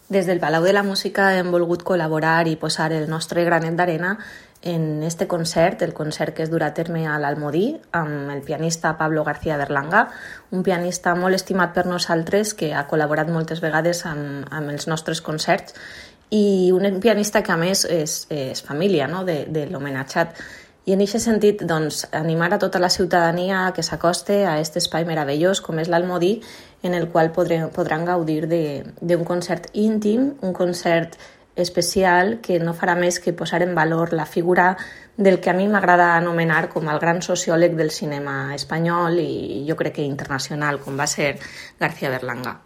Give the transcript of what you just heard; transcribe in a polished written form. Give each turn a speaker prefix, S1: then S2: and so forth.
S1: Des del Palau de la Música hem volgut col·laborar i posar el nostre granet d'arena en este concert, el concert que es durà a terme a l'Almodí, amb el pianista Pablo García Berlanga, un pianista molt estimat per nosaltres que ha col·laborat moltes vegades amb els nostres concerts i un pianista que a més és família, no?, de l'homenatjat. I en aquest sentit, doncs, animar a tota la ciutadania que s'acoste a aquest espai meravellós com és l'Almodí, en el qual podran gaudir d'un concert íntim, un concert especial que no farà més que posar en valor la figura del que a mi m'agrada anomenar com el gran sociòleg del cinema espanyol i jo crec que internacional, com va ser García Berlanga.